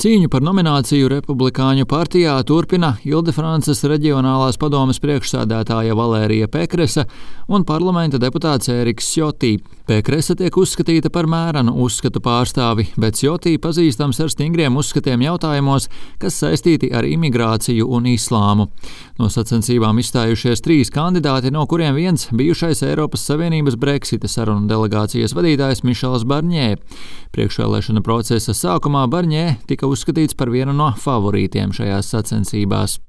Cīņu par nomināciju Republikāņu partijā turpina Ildefrances reģionālās padomes priekšsēdētāja Valērija Pekresa un parlamenta deputāts Ēriks Sjotī. Pekresa tiek uzskatīta par mērenu uzskatu pārstāvi, bet Sjotī pazīstams ar stingriem uzskatiem jautājumos, kas saistīti ar imigrāciju un islāmu. No sacensībām izstājušies 3 kandidāti, no kuriem viens bijušais Eiropas Savienības Brexita sarunu delegācijas vadītājs Mišels Barņē. Priekšvēlēšana procesa sākumā Barņē tika uzskatīts par vienu no favorītiem šajās sacensībās.